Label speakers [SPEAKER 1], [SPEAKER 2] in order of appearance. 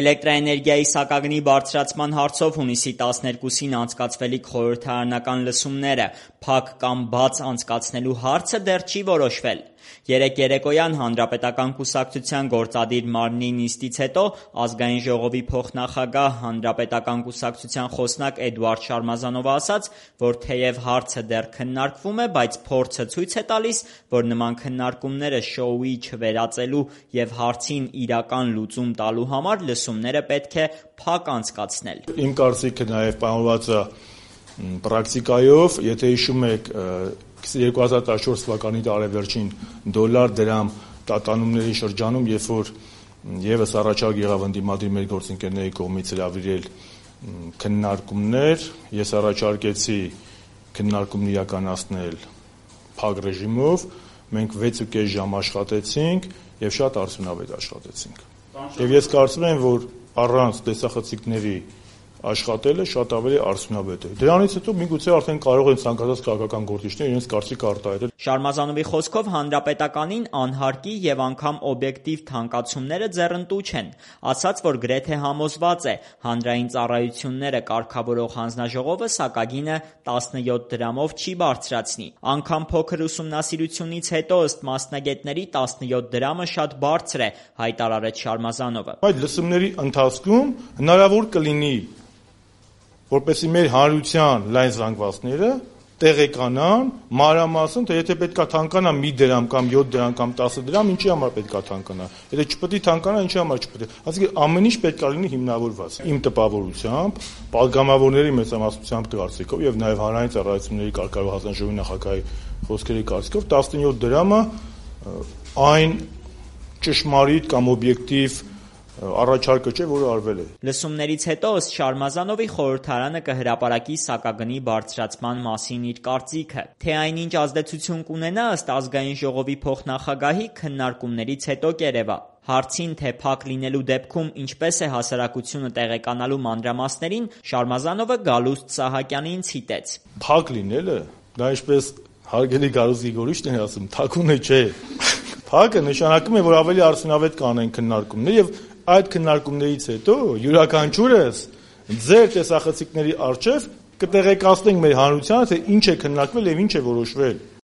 [SPEAKER 1] Էլեկտրաէներգիայի սակագնի բարձրացման հարցով հունիսի 12-ին անցկացվելիք խորհրդարանական լսումները փակ կամ բաց անցկացնելու հարցը դեռ չի որոշվել։ Երեկ երեկոյան Հանրապետական կուսակցության գործադիր մարմնի նիստից հետո Ազգային ժողովի փոխնախագահ, Հանրապետական կուսակցության խոսնակ Էդուարդ Շարմազանովը ասաց, որ թեև հարցը դեռ քննարկվում է, բայց փորձը ցույց է տալիս, որ նման քննարկումները շոուի չվերածելու և հարցին իրական լուծում տալու համար լսումները պետք է փակ անցկացնել։
[SPEAKER 2] Իմ կարծիքը նաև պայմանավորված է պրակտիկայով, եթե հիշում եք 2014 թվականի տարեվերջին դոլար-դրամ տատանումների շրջանում, երբ որ ևս առաջարկ եղավ ընդդիմադիր մեր գործընկերների կողմից հրավիրել քննարկումներ, ես առաջարկեցի քննարկումն իրականացնել փակ ռեժիմով, մենք 6.5 ժամ աշխատեցինք և շատ արդյունավետ աշխատեցինք։ Եվ ես կարծում եմ, որ առանց տեսախցիկների աշխատելը շատ ավելի արդյունավետ է։ Դրանից հետո միգուցե արդեն կարող են ցանկացած քաղաքական գործիչներ իրենց կարծիքը արտահայտել։
[SPEAKER 1] Շարմազանովի խոսքով Հանրապետականին անհարկի և անգամ օբյեկտիվ թանկացումները ձեռնտու չեն, ասաց, որ գրեթե համոզված է հանրային ծառայությունները կարգավորող հանձնաժողովը սակագինը 17 դրամով չի բարձրացնի։ Անգամ փոքր ուսումնասիրությունից հետո ըստ մասնագետների 17 դրամը շատ բարձր է, հայտարարեց Շարմազանովը։
[SPEAKER 2] Այդ լսումների ընթացքում հնարավոր կլինի, որպեսզի մեր հանրության լայն զանգվածները տեղեկանան մանրամասն, թե եթե պետք է թանկանա մի դրամ կամ 7 դրամ կամ 10 դրամ, ինչի համար պետք է թանկանա, եթե չպետք է թանկանա, ինչի համար չպետք է։ Այսինքն ամեն ինչ պետք է լինի հիմնավորված։ Իմ տպավորությամբ, պատգամավորների մեծամասնության կարծիքով եւ նաեւ հանրային ծառայությունների կարգավորող հանձնաժողովի նախագահի խոսքերի կարծիքով 17 դրամը այն ճշմարիտ կամ օբյեկտիվ առաջարկը չէ, որը արվել է։
[SPEAKER 1] Լսումներից հետո ըստ Շարմազանովի խորհրդարանը կհրապարակի սակագնի բարձրացման մասին իր կարծիքը։ Թե այնինչ ազդեցություն կունենա ըստ Ազգային ժողովի փոխնախագահի քննարկումներից հետո կերևա։ Հարցին, թե փակ լինելու դեպքում ինչպես է հասարակությունը տեղեկանալու մանրամասներին, Շարմազանովը Գալուստ Սահակյանին ցիտեց։
[SPEAKER 2] Փակ լինելը, դա ինչպես հարգելի Գարուս Գրիգորյանը էր ասում, թաքուն չէ։ Փակը նշանակում է, որ ավելի արդյունավետ կանեն քննարկումներ եւ այդ քննարկումներից հետո յուրաքանչյուրս ձեր տեսախցիկների առջև կտեղեկացնենք մեր հանրությանը, թե ինչ է քննարկվել եւ ինչ է որոշվել։